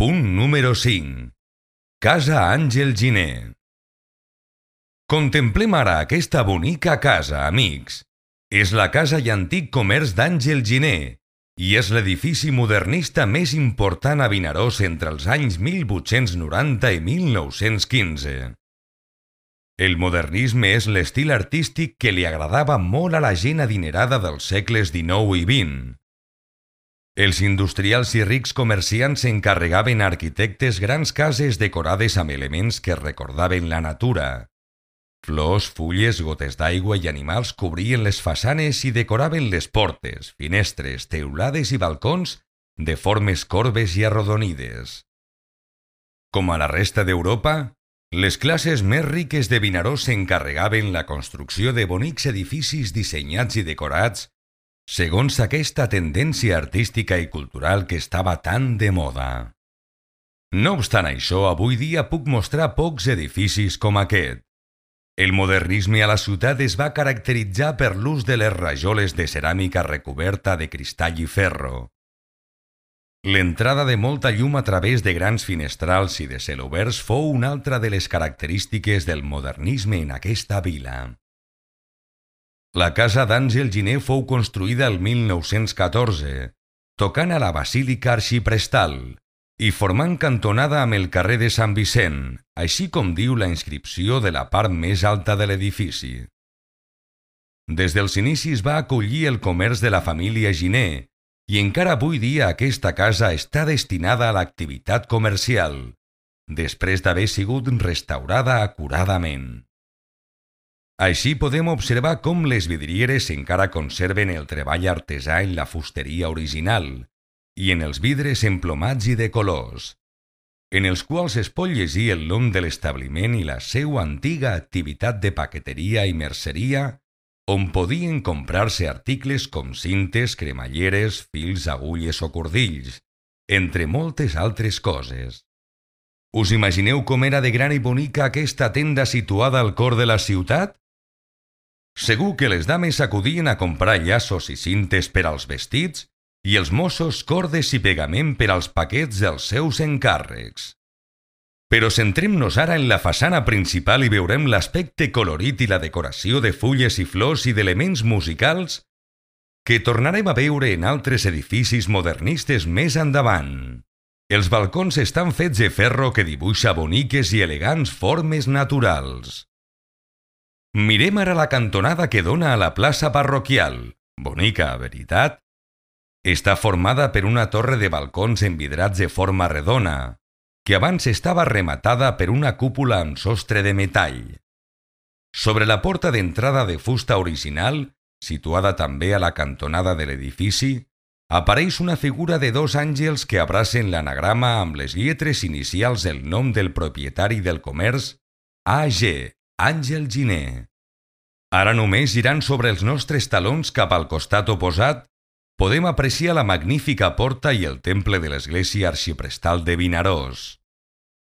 Punt número 5. Casa Àngel Giner. Contemplem ara aquesta bonica casa, amics. És la casa i antic comerç d'Àngel Giner i és l'edifici modernista més important a Vinaròs entre els anys 1890 i 1915. El modernisme és l'estil artístic que li agradava molt a la gent adinerada dels segles XIX i XX. Els industrials i rics comerciants encarregaven a arquitectes grans cases decorades amb elements que recordaven la natura. Flors, fulles, gotes d'aigua i animals cobrien les façanes i decoraven les portes, finestres, teulades i balcons de formes corbes i arrodonides. Com a la resta d'Europa, les classes més riques de Vinaròs s'encarregaven la construcció de bonics edificis dissenyats i decorats segons aquesta tendència artística i cultural que estava tan de moda. No obstant això, avui dia puc mostrar pocs edificis com aquest. El modernisme a la ciutat es va caracteritzar per l'ús de les rajoles de ceràmica recoberta de cristall i ferro. L'entrada de molta llum a través de grans finestrals i de celoberts fou una altra de les característiques del modernisme en aquesta vila. La casa d'Àngel Giner fou construïda el 1914, tocant a la Basílica Arxiprestal i formant cantonada amb el carrer de Sant Vicent, així com diu la inscripció de la part més alta de l'edifici. Des dels inicis va acollir el comerç de la família Giner i encara avui dia aquesta casa està destinada a l'activitat comercial, després d'haver sigut restaurada acuradament. Així podem observar com les vidrieres encara conserven el treball artesà en la fusteria original i en els vidres emplomats i de colors, en els quals es pot llegir el nom de l'establiment i la seva antiga activitat de paqueteria i merceria, on podien comprar-se articles com cintes, cremalleres, fils, agulles o cordills, entre moltes altres coses. Us imagineu com era de gran i bonica aquesta tenda situada al cor de la ciutat? Segur que les dames acudien a comprar llaços i cintes per als vestits i els mossos cordes i pegament per als paquets dels seus encàrrecs. Però centrem-nos ara en la façana principal i veurem l'aspecte colorit i la decoració de fulles i flors i d'elements musicals que tornarem a veure en altres edificis modernistes més endavant. Els balcons estan fets de ferro que dibuixa boniques i elegants formes naturals. Mirem ara la cantonada que dona a la plaça parroquial, bonica, veritat? Està formada per una torre de balcons envidrats de forma redona, que abans estava rematada per una cúpula amb sostre de metall. Sobre la porta d'entrada de fusta original, situada també a la cantonada de l'edifici, apareix una figura de dos àngels que abracen l'anagrama amb les lletres inicials del nom del propietari del comerç, A.G., Àngel Giner. Ara només girant sobre els nostres talons cap al costat oposat, podem apreciar la magnífica porta i el temple de l'església arxiprestal de Vinaròs.